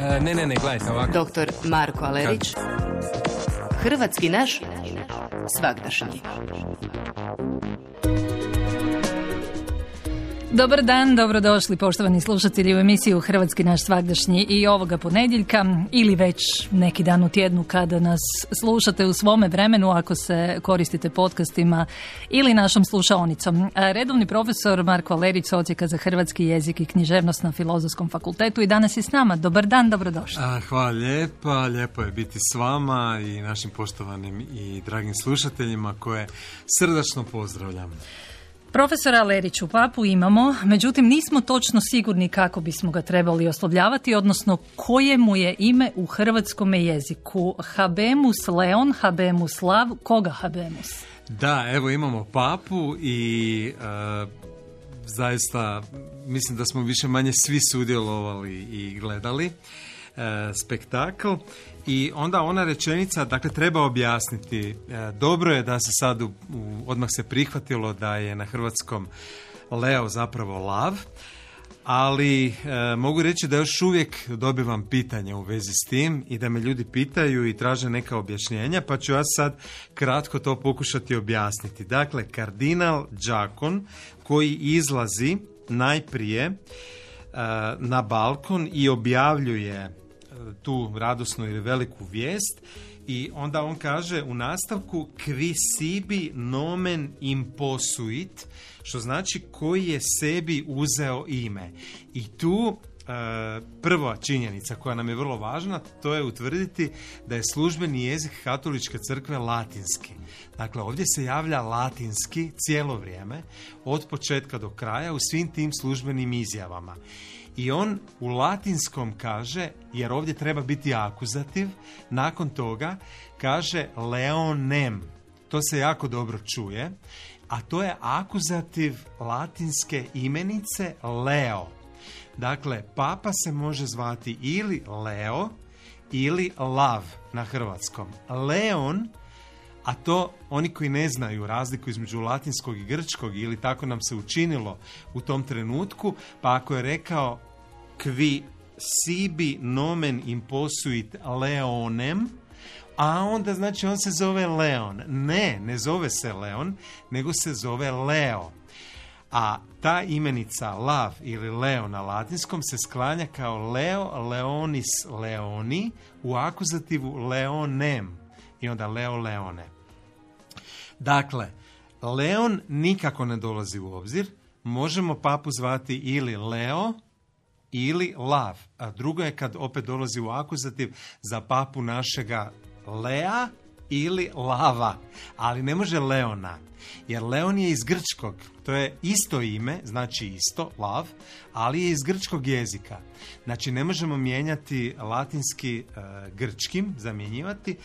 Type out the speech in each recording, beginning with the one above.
Ne, gledajte ovako. Dr. Marko Alerić, hrvatski naš svagdašnji. Dobar dan, dobrodošli poštovani slušatelji u emisiju Hrvatski naš svagdašnji i ovoga ponedjeljka ili već neki dan u tjednu kada nas slušate u svome vremenu ako se koristite podcastima ili našom slušaonicom. Redovni profesor Marko Alerić s Odsjeka za hrvatski jezik i književnost na Filozofskom fakultetu i danas je s nama. Dobar dan, dobrodošli. Hvala lijepa, lijepo je biti s vama i našim poštovanim i dragim slušateljima koje srdačno pozdravljam. Profesora Aleriću, papu imamo, međutim nismo točno sigurni kako bismo ga trebali oslovljavati, odnosno koje mu je ime u hrvatskom jeziku. Habemus Leon, Habemus Lav, koga Habemus? Da, evo imamo papu i zaista mislim da smo više manje svi sudjelovali i gledali spektakl. I onda ona rečenica, dakle, treba objasniti. Dobro je da se sad odmah se prihvatilo da je na hrvatskom Leo zapravo lav, ali mogu reći da još uvijek dobivam pitanja u vezi s tim i da me ljudi pitaju i traže neka objašnjenja, pa ću ja sad kratko to pokušati objasniti. Dakle, kardinal Đakon koji izlazi najprije na balkon i objavljuje tu radosnu ili veliku vijest i onda on kaže u nastavku qui sibi nomen imposuit, što znači koji je sebi uzeo ime. I tu prva činjenica koja nam je vrlo važna, to je utvrditi da je službeni jezik katoličke crkve latinski. Dakle, ovdje se javlja latinski cijelo vrijeme, od početka do kraja u svim tim službenim izjavama. I on u latinskom kaže, jer ovdje treba biti akuzativ, nakon toga kaže leonem. To se jako dobro čuje, a to je akuzativ latinske imenice Leo. Dakle, papa se može zvati ili Leo ili Lav na hrvatskom. Leon, a to oni koji ne znaju razliku između latinskog i grčkog ili tako nam se učinilo u tom trenutku, pa ako je rekao qui sibi nomen imposuit leonem, a onda znači on se zove Leon. Ne zove se Leon, nego se zove Leo. A ta imenica Lav ili Leo na latinskom se sklanja kao Leo, Leonis, Leoni, u akuzativu Leonem i onda Leo, Leone. Dakle, Leon nikako ne dolazi u obzir. Možemo papu zvati ili Leo ili Lav. A drugo je kad opet dolazi u akuzativ za papu našega Lea ili Lava. Ali ne može Leona. Jer Leon je iz grčkog. To je isto ime, znači isto, Lav, ali je iz grčkog jezika. Znači ne možemo mijenjati latinski grčkim, zamjenjivati.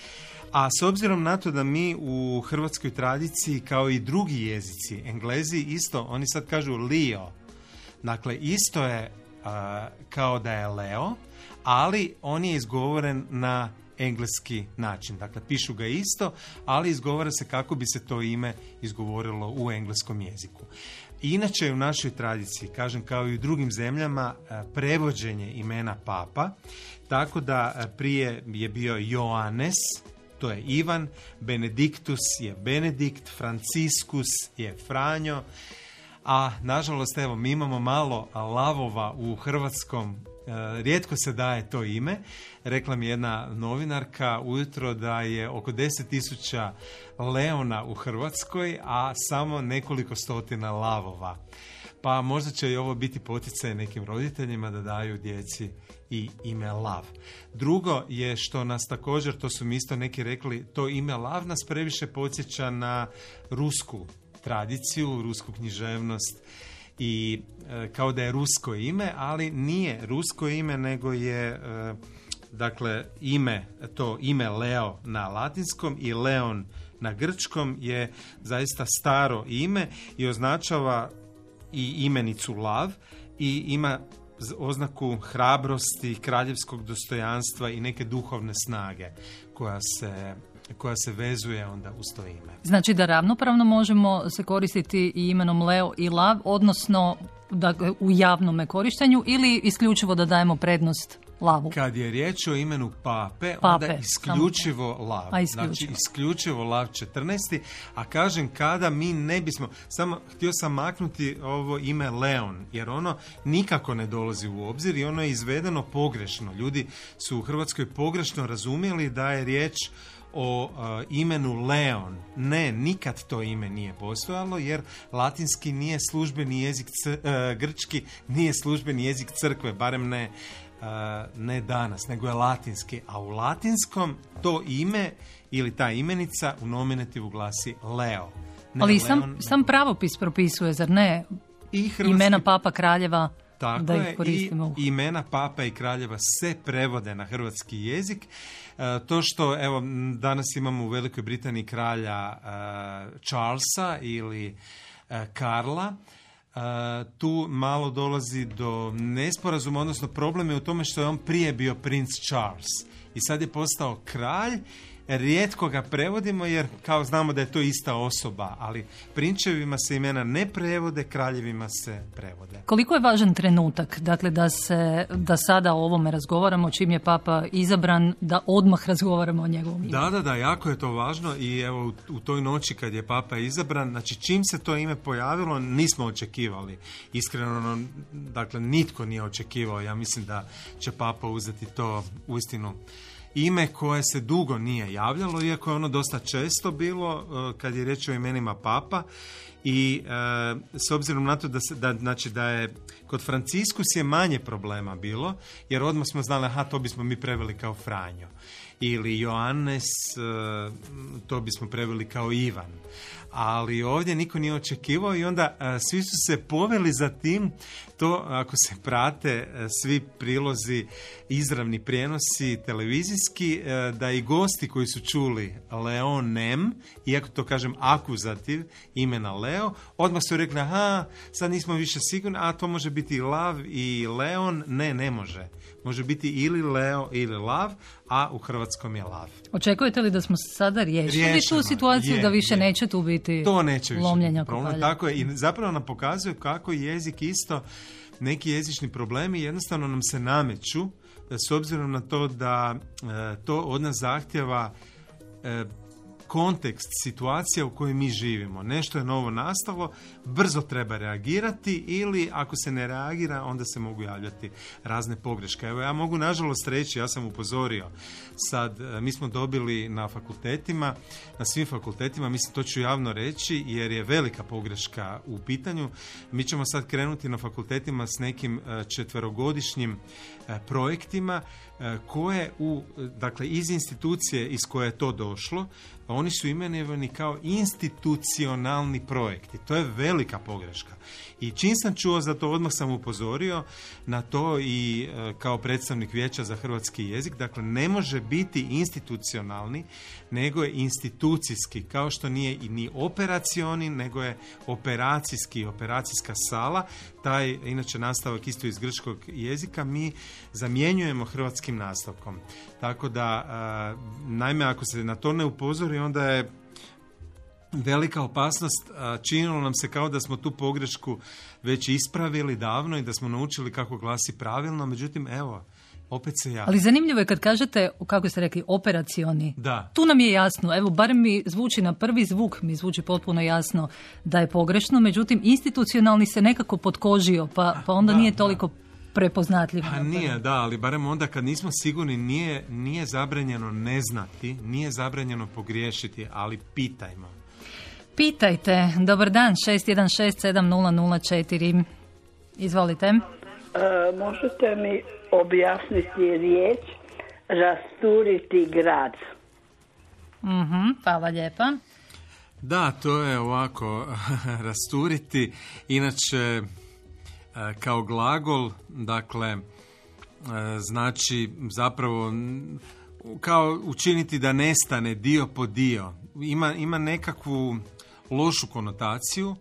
A s obzirom na to da mi u hrvatskoj tradiciji, kao i drugi jezici, Englezi isto, oni sad kažu Leo. Dakle, isto je kao da je Leo, ali on je izgovoren na engleski način. Dakle, pišu ga isto, ali izgovara se kako bi se to ime izgovorilo u engleskom jeziku. Inače, u našoj tradiciji, kažem, kao i u drugim zemljama, prevođenje imena papa, tako da prije je bio Joannes, to je Ivan, Benediktus je Benedikt, Franciskus je Franjo, a nažalost, evo, mi imamo malo lavova u hrvatskom, rijetko se daje to ime. Rekla mi jedna novinarka ujutro da je oko 10.000 leona u Hrvatskoj, a samo nekoliko stotina lavova. Pa možda će i ovo biti poticaj nekim roditeljima da daju djeci i ime Lav. Drugo je što nas također, to su mi isto neki rekli, to ime Lav nas previše podsjeća na rusku tradiciju, rusku književnost i kao da je rusko ime, ali nije rusko ime, nego je dakle ime Leo na latinskom i Leon na grčkom je zaista staro ime i označava i imenicu Lav i ima oznaku hrabrosti, kraljevskog dostojanstva i neke duhovne snage koja se vezuje onda uz to ime. Znači da ravnopravno možemo se koristiti i imenom Leo i Lav, odnosno u javnome korištenju, ili isključivo da dajemo prednost lavu. Kad je riječ o imenu pape, onda isključivo lav. Znači, isključivo lav 14. A kažem, kada mi ne bismo... Samo htio sam maknuti ovo ime Leon, jer ono nikako ne dolazi u obzir i ono je izvedeno pogrešno. Ljudi su u Hrvatskoj pogrešno razumjeli da je riječ o imenu Leon. Ne, nikad to ime nije postojalo, jer latinski nije službeni jezik, grčki nije službeni jezik crkve, barem ne danas, nego je latinski. A u latinskom to ime ili ta imenica u nominativu glasi Leo. Ne, ali sam pravopis propisuje, zar ne? I imena papa, kraljeva. Tako da je, i imena papa i kraljeva se prevode na hrvatski jezik. To što, evo, danas imamo u Velikoj Britaniji kralja Charlesa ili Karla, tu malo dolazi do nesporazuma, odnosno problem je u tome što je on prije bio princ Charles i sad je postao kralj. Rijetko ga prevodimo jer kao znamo da je to ista osoba, ali prinčevima se imena ne prevode, kraljevima se prevode. Koliko je važan trenutak, dakle da sada o ovome razgovaramo, čim je papa izabran, da odmah razgovaramo o njegovom imenu? Da, jako je to važno i evo u toj noći kad je papa izabran, znači čim se to ime pojavilo nismo očekivali. Iskreno, dakle nitko nije očekivao, ja mislim da će papa uzeti to uistinu ime koje se dugo nije javljalo, iako je ono dosta često bilo kad je riječ o imenima papa i s obzirom na to da je kod Franciskus je manje problema bilo, jer odmah smo znali, to bismo mi preveli kao Franjo. Ili Joannes, to bismo preveli kao Ivan. Ali ovdje niko nije očekivao i onda svi su se poveli za tim. To ako se prate svi prilozi, izravni prijenosi televizijski, da i gosti koji su čuli Leonem, iako to kažem akuzativ imena Leo, odmah su rekli, sad nismo više sigurni, to može biti i Lav i Leon. Ne može. Može biti ili Leo ili Lav, a u hrvatskom je Lav. Očekujete li da smo sada riješili tu situaciju, da više neće tu biti lomljenja kopalja? Tako je, i zapravo nam pokazuje kako jezik isto, neki jezični problemi jednostavno nam se nameću, s obzirom na to da to od nas zahtjeva kontekst, situacija u kojoj mi živimo. Nešto je novo nastalo, brzo treba reagirati ili ako se ne reagira, onda se mogu javljati razne pogreške. Evo, ja mogu nažalost reći, ja sam upozorio sad, mi smo dobili na fakultetima, na svim fakultetima, mislim to ću javno reći jer je velika pogreška u pitanju. Mi ćemo sad krenuti na fakultetima s nekim 4-godišnjim projektima koje dakle iz institucije iz koje je to došlo, oni su imenovani kao institucionalni projekti. To je velika pogreška. I čim sam čuo za to, odmah sam upozorio na to i kao predstavnik Vijeća za hrvatski jezik. Dakle, ne može biti institucionalni, nego je institucijski, kao što nije i ni operacioni, nego je operacijski, operacijska sala. Taj, inače, nastavak isto iz grčkog jezika mi zamjenjujemo hrvatskim nastavkom. Tako da, naime, ako se na to ne upozori, onda je velika opasnost. Činilo nam se kao da smo tu pogrešku već ispravili davno i da smo naučili kako glasi pravilno, međutim, evo, opet se javlja. Ali zanimljivo je kad kažete, kako ste rekli, operacioni. Da. Tu nam je jasno, evo, barem mi zvuči na prvi zvuk, mi zvuči potpuno jasno da je pogrešno, međutim, institucionalni se nekako potkožio, pa onda nije toliko prepoznatljiv. Nije, ali barem onda kad nismo sigurni nije zabranjeno ne znati, nije zabranjeno pogriješiti, ali pitajmo. Pitajte. Dobar dan, 6167004. Izvolite. Možete mi objasniti riječ rasturiti grad? Hvala lijepa. Da, to je ovako, rasturiti, inače kao glagol, dakle, znači zapravo kao učiniti da nestane dio po dio. Ima nekakvu lošu konotaciju,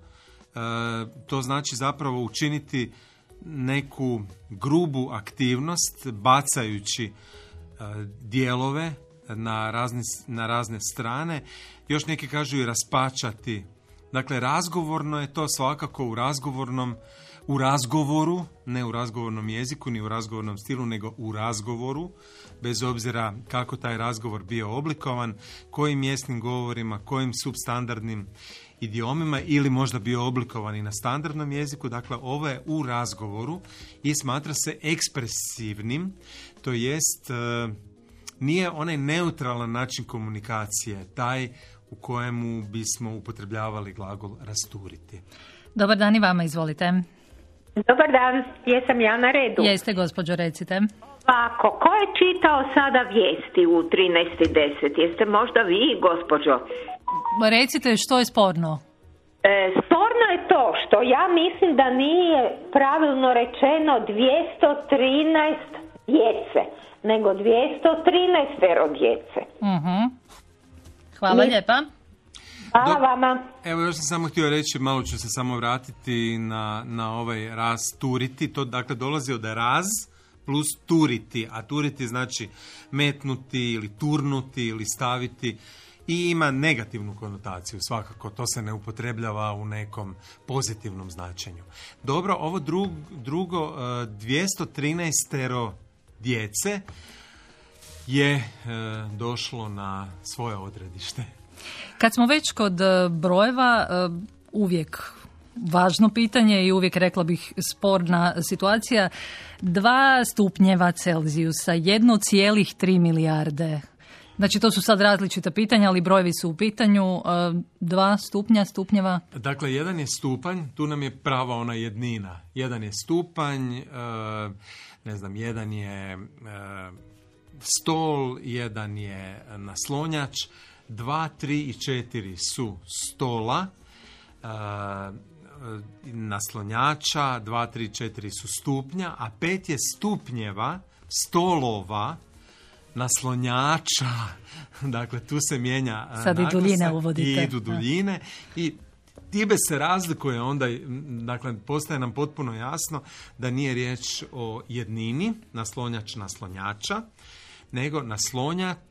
to znači zapravo učiniti neku grubu aktivnost bacajući dijelove na razne strane. Još neki kažu i raspačati. Dakle, razgovorno je to, svakako u razgovornom u razgovoru, ne u razgovornom jeziku, ni u razgovornom stilu, nego u razgovoru, bez obzira kako taj razgovor bio oblikovan, kojim mjesnim govorima, kojim substandardnim idiomima ili možda bio oblikovan i na standardnom jeziku. Dakle, ovo je u razgovoru i smatra se ekspresivnim, to jest nije onaj neutralan način komunikacije, taj u kojemu bismo upotrebljavali glagol rasturiti. Dobar dan i vama, izvolite. Dobar dan, jesam ja na redu? Jeste, gospođo, recite. Ovako, ko je čitao sada vijesti u 13:10? Jeste možda vi, gospođo? Recite što je sporno. Sporno je to što ja mislim da nije pravilno rečeno 213 djece, nego 213 djece. Hvala lijepa. Hvala vama. Evo, još sam samo htio reći, malo ću se samo vratiti na ovaj rasturiti. To dakle dolazi od raz plus turiti, a turiti znači metnuti ili turnuti ili staviti i ima negativnu konotaciju, svakako. To se ne upotrebljava u nekom pozitivnom značenju. Dobro, ovo drugo 213 djece je došlo na svoje odredište. Kad smo već kod brojeva, uvijek važno pitanje i uvijek, rekla bih, sporna situacija. 2 stupnjeva Celzijusa, 1,3 milijarde. Znači, to su sad različita pitanja, ali brojevi su u pitanju. 2 stupnjeva. Dakle, 1 je stupanj, tu nam je prava ona jednina. 1 je stupanj, 1 je stol, 1 je naslonjač, 2, 3 i 4 su stola, naslonjača, 2, 3, 4 su stupnja, a 5 je stupnjeva, stolova, naslonjača. Dakle, tu se mijenja sad i duljine uvodite. I idu duljine i time se razlikuje onda, dakle, postaje nam potpuno jasno da nije riječ o jednini, naslonjač, naslonjača, nego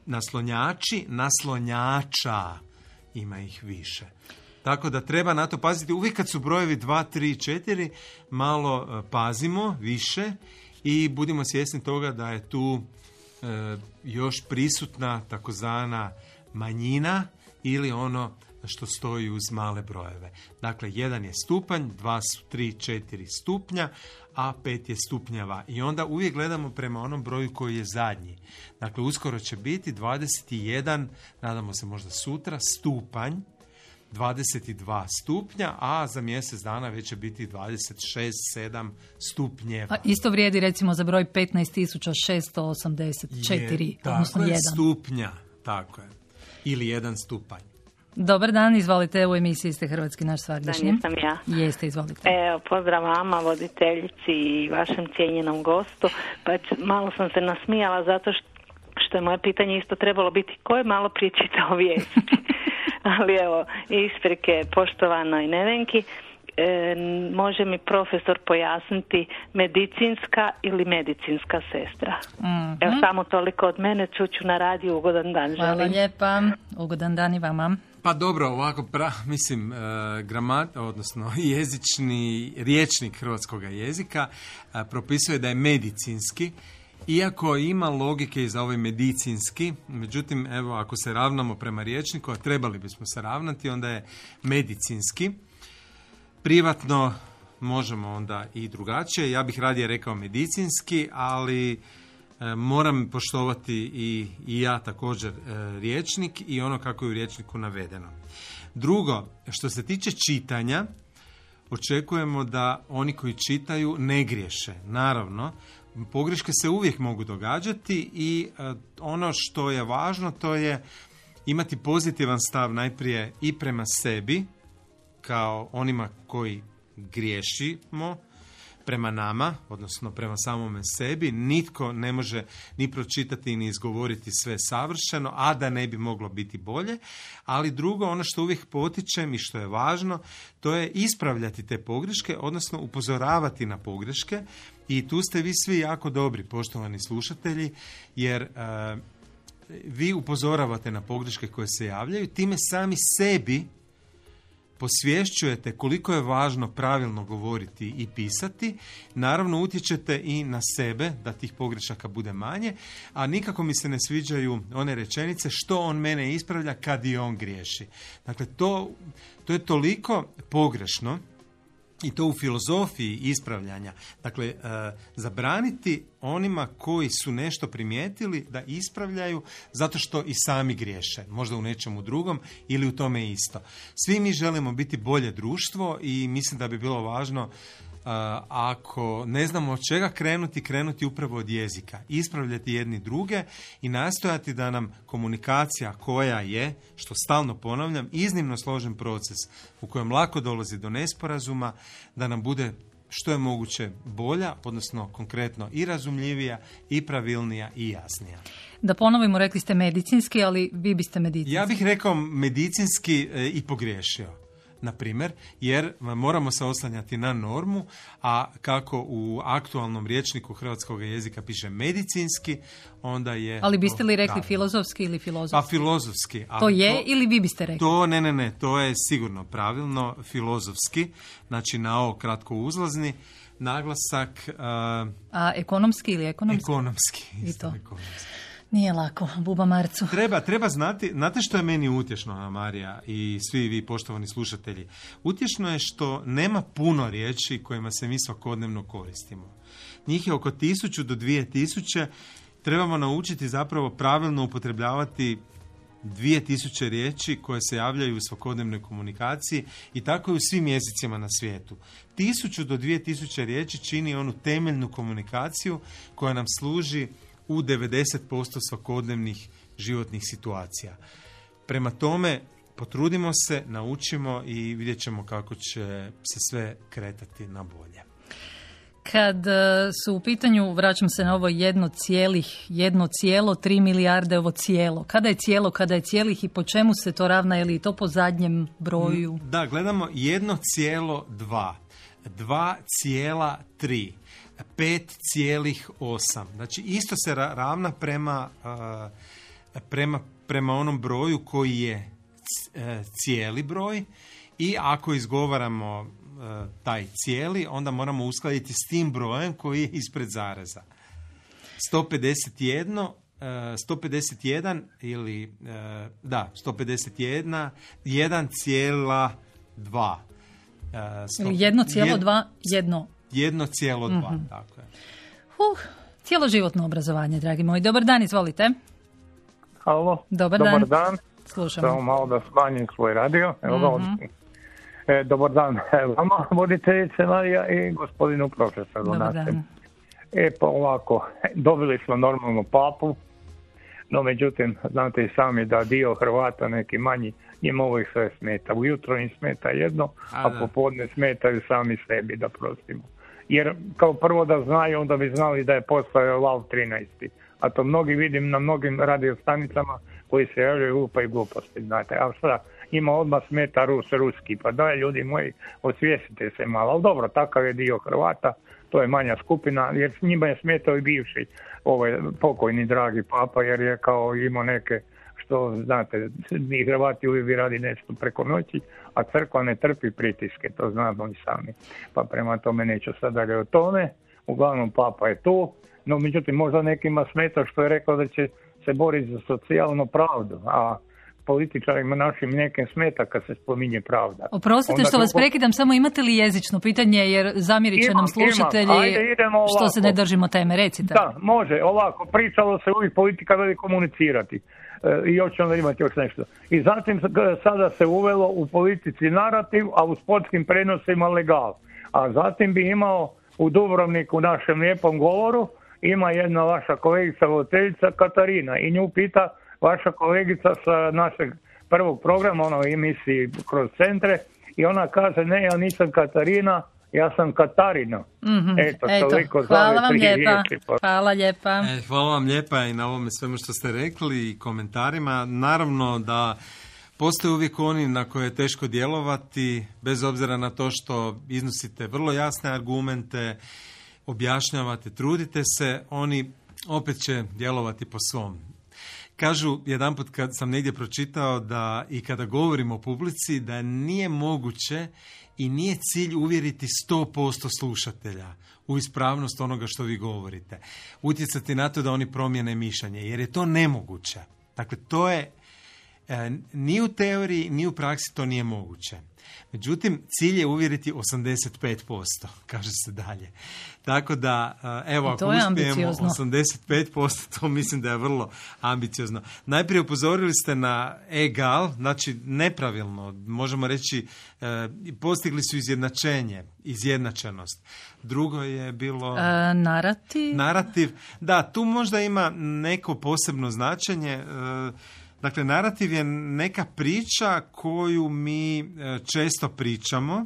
naslonjači, naslonjača, ima ih više. Tako da treba na to paziti. Uvijek kad su brojevi 2, 3, 4, malo pazimo više i budimo svjesni toga da je tu još prisutna takozvana manjina ili ono što stoji uz male brojeve. Dakle, 1 je stupanj, 2 su 3, 4 stupnja, a 5 je stupnjeva. I onda uvijek gledamo prema onom broju koji je zadnji. Dakle, uskoro će biti 21, nadamo se možda sutra, stupanj, 22 stupnja, a za mjesec dana već će biti 26, 7 stupnjeva. A isto vrijedi recimo za broj 15.684, odnosno 1. Stupnja, tako je. Ili 1 stupanj. Dobar dan, izvolite, u emisiji ste Hrvatski naš svagdašnji. Jesam ja. Jeste, izvolite. Evo, pozdrav vama, voditeljici i vašem cijenjenom gostu. Pa malo sam se nasmijala zato što je moje pitanje isto trebalo biti ko je malo prije čitao vijesti. Ali evo, isprike poštovanoj Nevenki, može mi profesor pojasniti medicinska ili medicinska sestra? Mm-hmm. Evo, samo toliko od mene, čuću na radiju, ugodan dan želim. Hvala lijepa, ugodan dan i vama. Pa dobro, ovako, odnosno jezični rječnik hrvatskog jezika propisuje da je medicinski, iako ima logike i za ovaj medicinski, međutim, evo, ako se ravnamo prema rječniku, a trebali bismo se ravnati, onda je medicinski. Privatno možemo onda i drugačije, ja bih radije rekao medicinski, ali moram poštovati i ja također rječnik i ono kako je u rječniku navedeno. Drugo, što se tiče čitanja, očekujemo da oni koji čitaju ne griješe. Naravno, pogreške se uvijek mogu događati i ono što je važno to je imati pozitivan stav najprije i prema sebi, kao onima koji griješimo, prema nama, odnosno prema samome sebi. Nitko ne može ni pročitati ni izgovoriti sve savršeno, a da ne bi moglo biti bolje. Ali drugo, ono što uvijek potičem i što je važno, to je ispravljati te pogreške, odnosno upozoravati na pogreške. I tu ste vi svi jako dobri, poštovani slušatelji, jer vi upozoravate na pogreške koje se javljaju, time sami sebi posvješćujete koliko je važno pravilno govoriti i pisati, naravno utječete i na sebe da tih pogrešaka bude manje, a nikako mi se ne sviđaju one rečenice što on mene ispravlja kad i on griješi. Dakle, to je toliko pogrešno i to u filozofiji ispravljanja. Dakle, zabraniti onima koji su nešto primijetili da ispravljaju zato što i sami griješe. Možda u nečemu drugom ili u tome isto. Svi mi želimo biti bolje društvo i mislim da bi bilo važno ako ne znamo od čega krenuti upravo od jezika. Ispravljati jedni druge i nastojati da nam komunikacija koja je, što stalno ponavljam, iznimno složen proces u kojem lako dolazi do nesporazuma, da nam bude što je moguće bolja, odnosno konkretno i razumljivija, i pravilnija, i jasnija. Da ponovimo, rekli ste medicinski, ali vi biste medicinski. Ja bih rekao medicinski i pogriješio. Na primjer, jer moramo se oslanjati na normu, a kako u aktualnom rječniku hrvatskog jezika piše medicinski, onda je... Ali biste li rekli filozofski ili filozofski? Pa filozofski. To je ili vi biste rekli? Ne, to je sigurno pravilno, filozofski, znači na ovo kratko uzlazni naglasak... A ekonomski ili ekonomski? Ekonomski. I to. Ekonomski. Nije lako, buba Marcu. Treba znati, znate što je meni utješno, Marija i svi vi poštovani slušatelji? Utješno je što nema puno riječi kojima se mi svakodnevno koristimo. Njih je oko 1000 do 2000, trebamo naučiti zapravo pravilno upotrebljavati 2000 riječi koje se javljaju u svakodnevnoj komunikaciji i tako i u svim jezicima na svijetu. 1000 do 2000 riječi čini onu temeljnu komunikaciju koja nam služi u 90% svakodnevnih životnih situacija. Prema tome, potrudimo se, naučimo i vidjet ćemo kako će se sve kretati na bolje. Kad su u pitanju, vraćam se na ovo 1,3 milijarde, ovo cijelo. Kada je cijelo, kada je cijelih i po čemu se to ravna, je li to po zadnjem broju? Da, gledamo 1,2, 2,3. 5,8. Znači isto se ravna prema onom broju koji je cijeli broj i ako izgovaramo taj cijeli, onda moramo uskladiti s tim brojem koji je ispred zareza. 151 ili 151 1,2 ili 1,2 1,2, tako je. Cijeloživotno obrazovanje, dragi moji. Dobar dan, izvolite. Halo. Dobar dan. Slušamo. Samo malo da smanjim svoj radio. Dobar dan vama, voditeljice Marija i gospodinu profesoru. Dobar dan. Pa ovako, dobili smo normalno papu, no međutim, znate i sami da dio Hrvata, neki manji, njima ovo ih sve smeta. Ujutro im smeta jedno, a popodne smetaju sami sebi, da prostimo. Jer kao prvo da znaju, onda bi znali da je postojao Val 13. A to mnogi vidim na mnogim radiostanicama koji se javljaju lupaju gluposti, znate. A šta, njima odmah smeta ruski, pa daj ljudi moji, osvijestite se malo. Ali dobro, takav je dio Hrvata, to je manja skupina, jer s njima je smetao i bivši pokojni dragi papa, jer je kao imao neke, što znate, mi Hrvati uvijek radi nešto preko noći, a crkva ne trpi pritiske, to znamo i sami. Pa prema tome neću sad dalje o tome, uglavnom papa je tu, no međutim možda nekima smeta što je rekao da će se boriti za socijalnu pravdu, a političarima našim nekim smeta kad se spominje pravda. Oprostite što vas prekidam, samo imate li jezično pitanje, jer zamjerit će nam slušatelji što se ne držimo teme, recite. Da, može, ovako, pričalo se uvijek politika veli komunicirati i još onda imati još nešto. I zatim sada se uvelo u politici narativ, a u sportskim prenosima legal. A zatim bi imao u Dubrovniku, u našem lijepom govoru, ima jedna vaša kolegica voditeljica Katarina i nju pita vaša kolegica sa našeg prvog programa, ono emisiji kroz centre, i ona kaže, ne, ja nisam Katarina, ja sam Katarina. Eto, hvala vam lijepa. Hvala lijepa. Hvala vam lijepa i na ovome svemu što ste rekli i komentarima. Naravno da postoje uvijek oni na koje je teško djelovati, bez obzira na to što iznosite vrlo jasne argumente, objašnjavate, trudite se, oni opet će djelovati po svom. Kažu, jedanput kad sam negdje pročitao da i kada govorimo o publici, da nije moguće i nije cilj uvjeriti 100% slušatelja u ispravnost onoga što vi govorite. Utjecati na to da oni promijene mišljenje, jer je to nemoguće. Dakle, to je ni u teoriji, ni u praksi to nije moguće. Međutim, cilj je uvjeriti 85%, kaže se dalje. Tako da, evo, ako uspijemo 85%, to mislim da je vrlo ambiciozno. Najprije upozorili ste na egal, znači nepravilno, možemo reći, postigli su izjednačenost. Drugo je bilo... Narativ. Da, tu možda ima neko posebno značenje. Dakle, narativ je neka priča koju mi često pričamo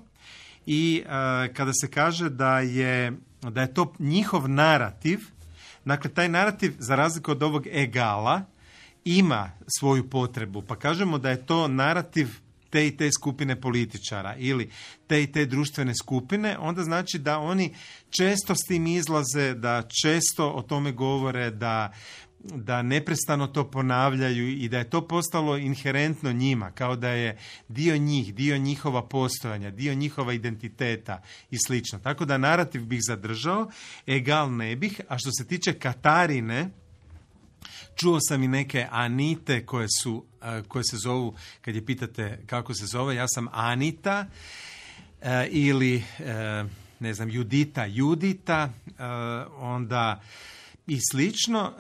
i kada se kaže da je to njihov narativ, dakle, taj narativ, za razliku od ovog egala, ima svoju potrebu. Pa kažemo da je to narativ te i te skupine političara ili te i te društvene skupine, onda znači da oni često s tim izlaze, da često o tome govore, da neprestano to ponavljaju i da je to postalo inherentno njima, kao da je dio njih, dio njihova postojanja, dio njihova identiteta i slično. Tako da narativ bih zadržao, egal ne bih, a što se tiče Katarine, čuo sam i neke Anite koje se zovu, kad je pitate kako se zove, ja sam Anita ili ne znam, Judita, onda i slično.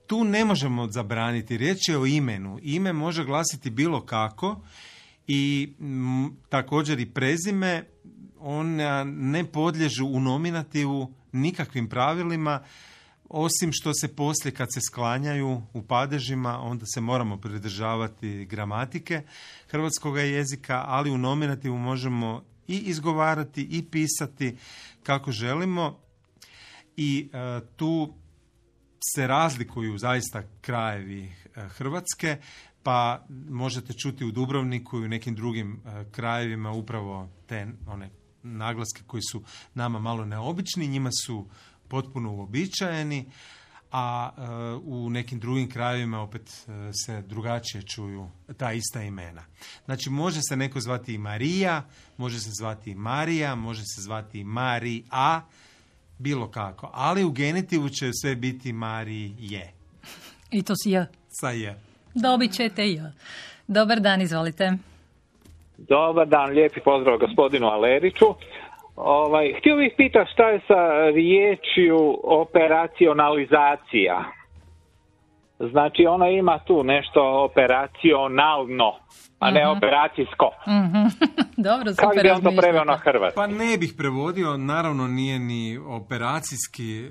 Tu ne možemo zabraniti, riječ je o imenu. Ime može glasiti bilo kako i također i prezime, ona ne podliježu u nominativu nikakvim pravilima, osim što se poslije kad se sklanjaju u padežima, onda se moramo pridržavati gramatike hrvatskog jezika, ali u nominativu možemo i izgovarati i pisati kako želimo. I tu se razlikuju zaista krajevi Hrvatske, pa možete čuti u Dubrovniku i u nekim drugim krajevima upravo te one naglaske koji su nama malo neobični, njima su potpuno uobičajeni, a u nekim drugim krajevima opet se drugačije čuju ta ista imena. Znači, može se neko zvati i Marija, može se zvati i Marija, može se zvati i Marija, bilo kako. Ali u genitivu će sve biti Marije. I to si ja. Sa je. Dobit ćete ja. Dobar dan, izvolite. Dobar dan, lijepi pozdrav gospodinu Aleriću. Htio bih pitati šta je sa riječju operacionalizacija. Znači, ona ima tu nešto operacionalno, a ne operacijsko. Dobro, super. Kako bi on to preveo na hrvatski? Pa ne bih prevodio, naravno nije ni operacijski,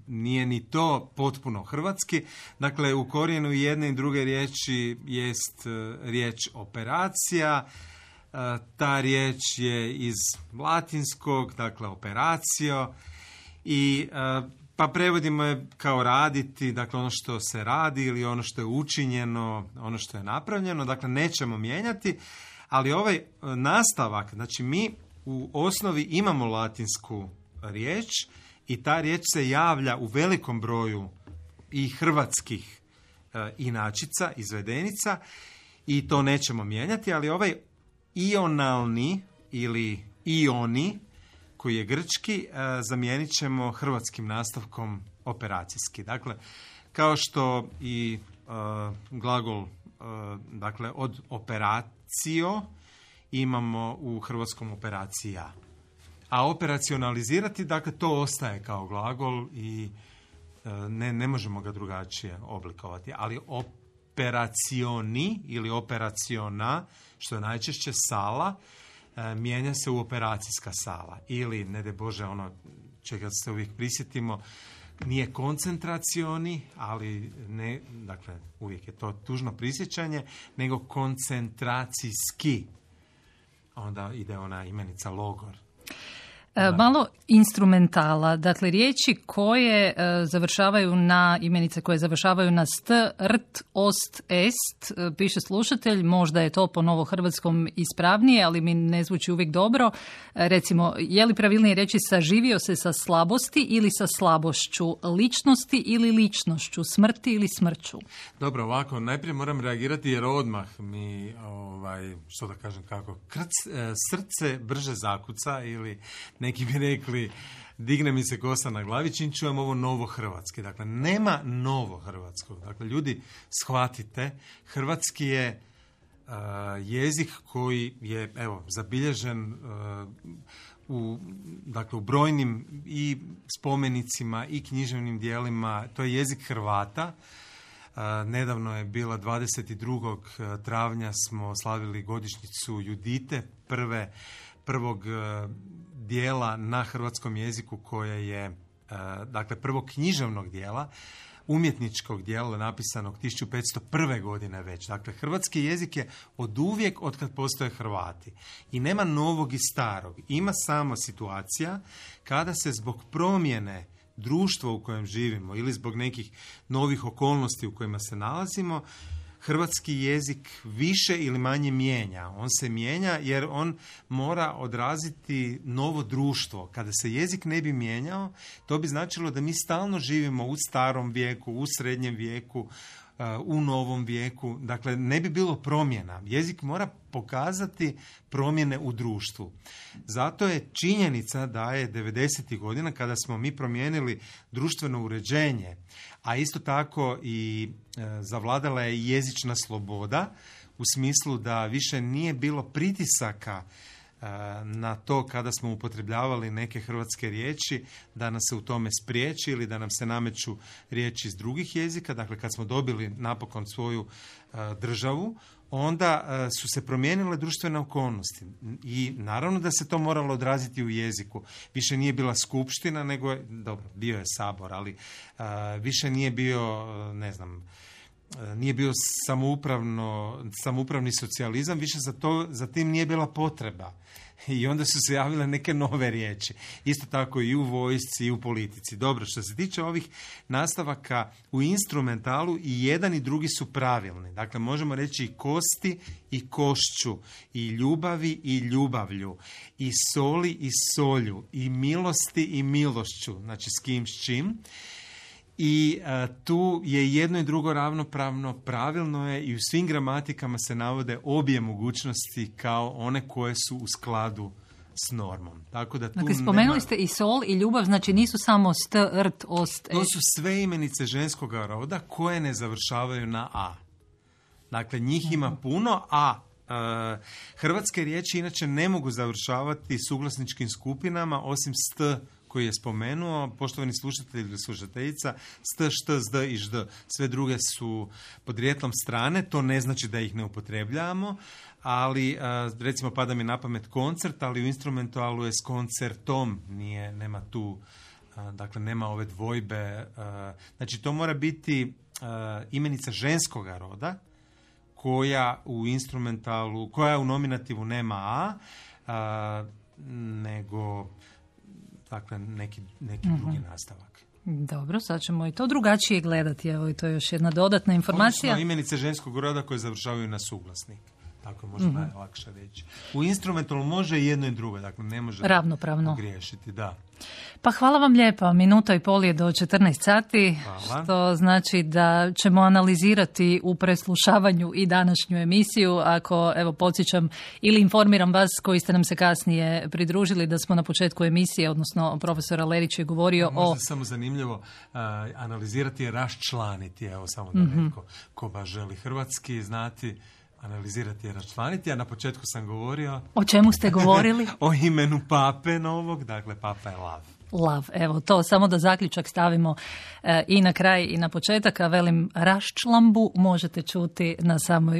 nije ni to potpuno hrvatski. Dakle, u korijenu jedne i druge riječi jest riječ operacija. Ta riječ je iz latinskog, dakle operacio, i pa prevodimo je kao raditi, dakle ono što se radi ili ono što je učinjeno, ono što je napravljeno, dakle nećemo mijenjati, ali ovaj nastavak, znači mi u osnovi imamo latinsku riječ i ta riječ se javlja u velikom broju i hrvatskih inačica, izvedenica, i to nećemo mijenjati, ali ovaj ionalni ili ioni, koji je grčki, zamijenit ćemo hrvatskim nastavkom operacijski. Dakle, kao što i glagol dakle, od operacio imamo u hrvatskom operacija. A operacionalizirati, dakle, to ostaje kao glagol i ne možemo ga drugačije oblikovati. Ali operacioni ili operaciona, što je najčešće sala, mijenja se u operacijska sala. Ili, ne daj Bože, ono čega se uvijek prisjetimo, nije koncentracioni, ali ne, dakle, uvijek je to tužno prisjećanje, nego koncentracijski. Onda ide ona imenica logor. Malo instrumentala, dakle riječi koje završavaju na imenice koje završavaju na st, rt, ost, est, piše slušatelj, možda je to po novohrvatskom ispravnije, ali mi ne zvuči uvijek dobro. Recimo, je li pravilnije reći saživio se sa slabosti ili sa slabošću, ličnosti ili ličnošću, smrti ili smrću? Dobro, ovako, najprije moram reagirati jer odmah mi, što da kažem kako, srce brže zakuca ili neki bi rekli digne mi se kosa na glavi čim čujem ovo novo hrvatski. Dakle, nema novo hrvatskog. Dakle, ljudi, shvatite, hrvatski je jezik koji je, zabilježen u brojnim i spomenicima i književnim dijelima. To je jezik Hrvata. Nedavno je bila 22. travnja smo slavili godišnjicu Judite, prvog dijela na hrvatskom jeziku koje je, prvog književnog dijela, umjetničkog dijela napisanog 1501. godine već. Dakle, hrvatski jezik je oduvijek od kad postoje Hrvati. I nema novog i starog. Ima samo situacija kada se zbog promjene društva u kojem živimo ili zbog nekih novih okolnosti u kojima se nalazimo, hrvatski jezik više ili manje mijenja. On se mijenja jer on mora odraziti novo društvo. Kada se jezik ne bi mijenjao, to bi značilo da mi stalno živimo u starom vijeku, u srednjem vijeku, u novom vijeku. Dakle, ne bi bilo promjena. Jezik mora pokazati promjene u društvu. Zato je činjenica da je 90. godina kada smo mi promijenili društveno uređenje, a isto tako i zavladala je jezična sloboda u smislu da više nije bilo pritisaka na to kada smo upotrebljavali neke hrvatske riječi da nas se u tome spriječi ili da nam se nameću riječi iz drugih jezika. Dakle, kad smo dobili napokon svoju državu, onda su se promijenile društvene okolnosti i naravno da se to moralo odraziti u jeziku. Više nije bila skupština, nego je, dobro, bio je sabor, ali više nije bio, nije bio samoupravni socijalizam, više za tim nije bila potreba. I onda su se javile neke nove riječi. Isto tako i u vojsci i u politici. Dobro, što se tiče ovih nastavaka u instrumentalu, i jedan i drugi su pravilni. Dakle, možemo reći i kosti i košću, i ljubavi i ljubavlju, i soli i solju, i milosti i milošću. Znači, s kim, s čim. I tu je jedno i drugo ravnopravno, pravilno je i u svim gramatikama se navode obje mogućnosti kao one koje su u skladu s normom. Tako da tu dakle, spomenuli ste i sol i ljubav, znači nisu samo st, rt, ost, to su sve imenice ženskog roda koje ne završavaju na a. Dakle, njih ima puno, a hrvatske riječi inače ne mogu završavati suglasničkim skupinama osim st koji je spomenuo, poštovani slušatelj ili slušateljica, st, št, zd i žd. Sve druge su podrijetlom strane, to ne znači da ih ne upotrebljavamo, ali recimo pada mi na pamet koncert, ali u instrumentalu je s koncertom, nema tu, dakle nema ove dvojbe. Znači to mora biti imenica ženskoga roda, koja u instrumentalu, koja u nominativu nema a, nego dakle neki drugi nastavak. Dobro, sad ćemo i to drugačije gledati. Evo, i to je još jedna dodatna informacija. Odnosno imenice ženskog roda koje završavaju na suglasnik. Tako može najlakše reći. U instrumentalu može i jedno i drugo, dakle ne može ravnopravno pogriješiti, da. Pa hvala vam lijepa, minuta i pol je do 14 sati, hvala. Što znači da ćemo analizirati u preslušavanju i današnju emisiju. Ako, evo, podsjećam ili informiram vas koji ste nam se kasnije pridružili da smo na početku emisije, odnosno profesor Alerić je govorio možda samo zanimljivo analizirati je raščlaniti, evo samo da neko ko baš želi hrvatski znati, analizirati je raščlaniti, a na početku sam govorio... O čemu ste govorili? O imenu pape novog, dakle papa je Lav. Lav, evo to, samo da zaključak stavimo i na kraj i na početak, a velim raščlambu možete čuti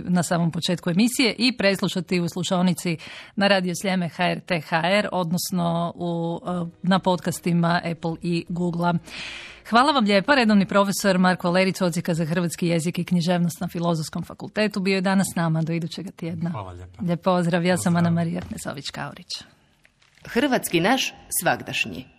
na samom početku emisije i preslušati u slušaonici na Radio Sljeme HRT.hr, odnosno na podcastima Apple i Google-a. Hvala vam lijepa, redovni profesor Marko Alerić, Odsjeka za hrvatski jezik i književnost na Filozofskom fakultetu, bio je danas s nama do idućega tjedna. Hvala lijepa. Lijep pozdrav, ja sam Ana Marija Ernesović-Kaurić. Hrvatski naš svagdašnji.